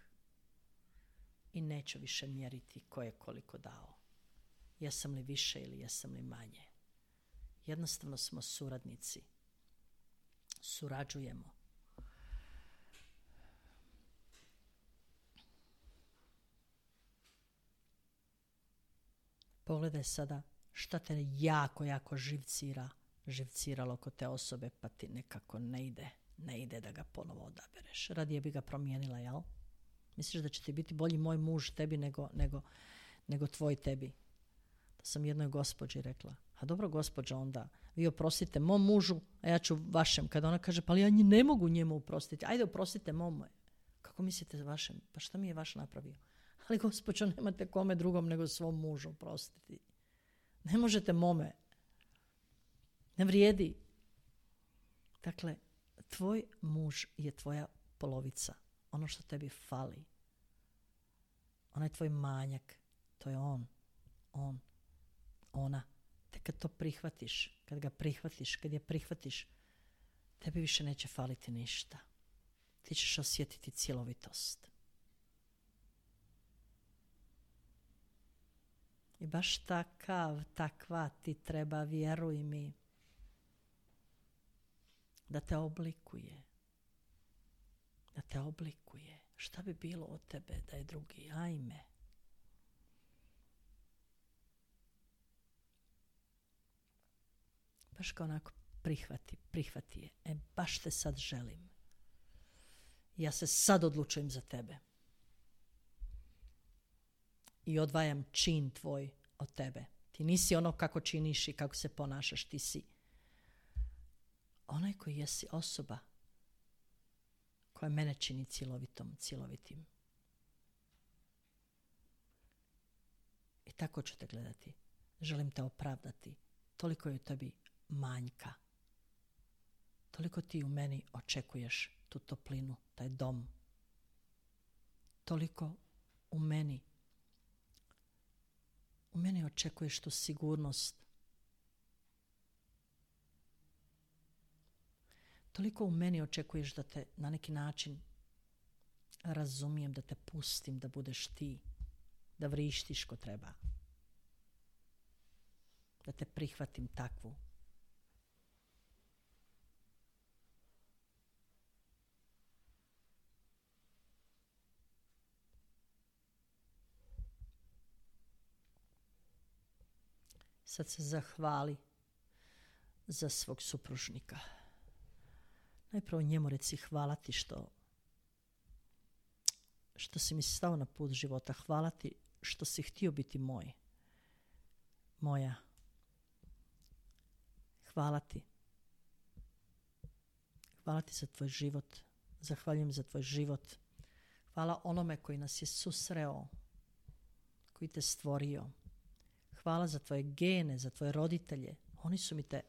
I neću više mjeriti ko je koliko dao. Jesam li više ili jesam li manje. Jednostavno smo suradnici. Surađujemo. Pogledaj sada šta te jako, jako živcira, živciralo kod te osobe, pa ti nekako ne ide, ne ide da ga ponovo odabereš. Radije bi ga promijenila, jel? Misliš da će ti biti bolji moj muž tebi nego, nego, nego tvoj tebi? To sam jednoj gospođi rekla. A dobro, gospođa, onda vi oprostite mom mužu, a ja ću vašem. Kada ona kaže, pa ali ja ne mogu njemu oprostiti. Ajde, oprostite mome. Kako mislite vašem? Pa šta mi je vaš napravio? Ali gospođo, nemate kome drugom nego svom mužu oprostiti. Ne možete mome. Ne vrijedi. Dakle, tvoj muž je tvoja polovica. Ono što tebi fali. Onaj tvoj manjak. To je on. On. Ona. Te kad to prihvatiš, kad ga prihvatiš, kad je prihvatiš, tebi više neće faliti ništa. Ti ćeš osjetiti cjelovitost. I baš takav, takva ti treba, vjeruj mi, da te oblikuje. Da te oblikuje. Šta bi bilo od tebe da je drugi? Ajme. Baš kao onako prihvati, prihvati je. E, baš te sad želim. Ja se sad odlučujem za tebe. I odvajam čin tvoj od tebe. Ti nisi ono kako činiš i kako se ponašaš. Ti si onaj koji jesi osoba koja mene čini cjelovitom, cjelovitim. I tako ću te gledati. Želim te opravdati. Toliko je u tebi manjka. Toliko ti u meni očekuješ tu toplinu, taj dom. Toliko u meni u meni očekuješ tu sigurnost. Toliko u meni očekuješ da te na neki način razumijem, da te pustim, da budeš ti, da vrištiš ko treba. Da te prihvatim takvu. Sad se zahvali za svog supružnika. Najprvo njemu reci hvala ti što što si mi stao na put života. Hvala ti što si htio biti moj. Moja. Hvala ti. Hvala ti za tvoj život. Zahvaljujem za tvoj život. Hvala onome koji nas je susreo, koji te stvorio. Hvala za tvoje gene, za tvoje roditelje. Oni su mi te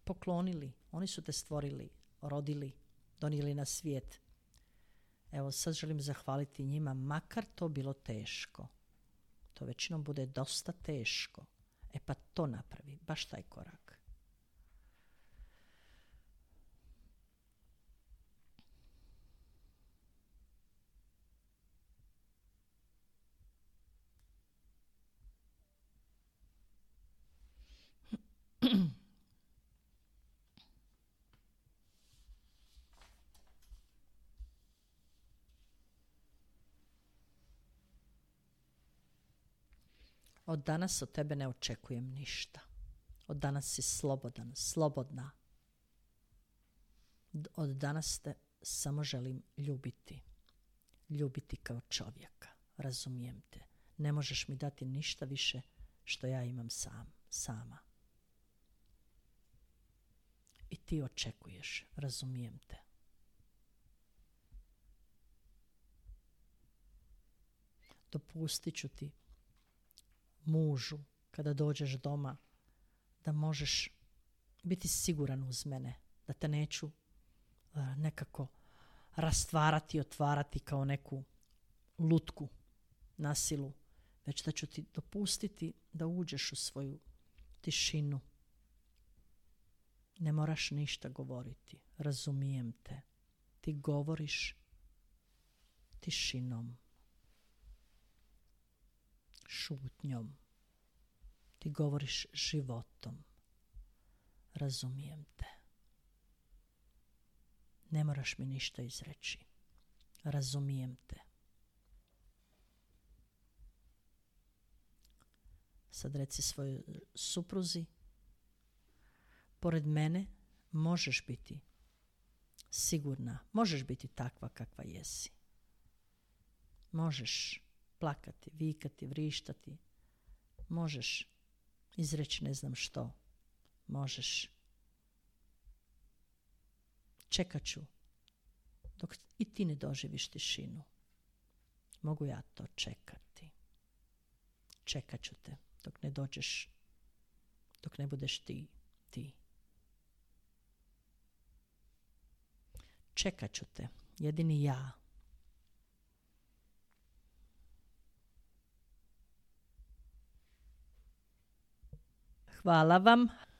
poklonili. Oni su te stvorili, rodili, donijeli na svijet. Evo, sad želim zahvaliti njima, makar to bilo teško. To većinom bude dosta teško. E pa to napravi, baš taj korak. Od danas od tebe ne očekujem ništa. Od danas si slobodan, slobodna. Od danas te samo želim ljubiti. Ljubiti kao čovjeka. Razumijem te. Ne možeš mi dati ništa više što ja imam sam, sama. I ti očekuješ. Razumijem te. Dopustit ću ti, mužu, kada dođeš doma, da možeš biti siguran uz mene, da te neću uh, nekako rastvarati, otvarati kao neku lutku na silu, već da ću ti dopustiti da uđeš u svoju tišinu. Ne moraš ništa govoriti, razumijem te. Ti govoriš tišinom, šutnjom. Ti govoriš životom. Razumijem te. Ne moraš mi ništa izreći. Razumijem te. Sad reci svojoj supruzi, pored mene možeš biti sigurna, možeš biti takva kakva jesi. Možeš plakati, vikati, vrištati. Možeš izreći ne znam što. Možeš. Čekat ću dok i ti ne doživiš tišinu. Mogu ja to čekati. Čekat ću te dok ne dođeš, dok ne budeš ti, ti. Čekat ću te, jedini ja. Hvala vam.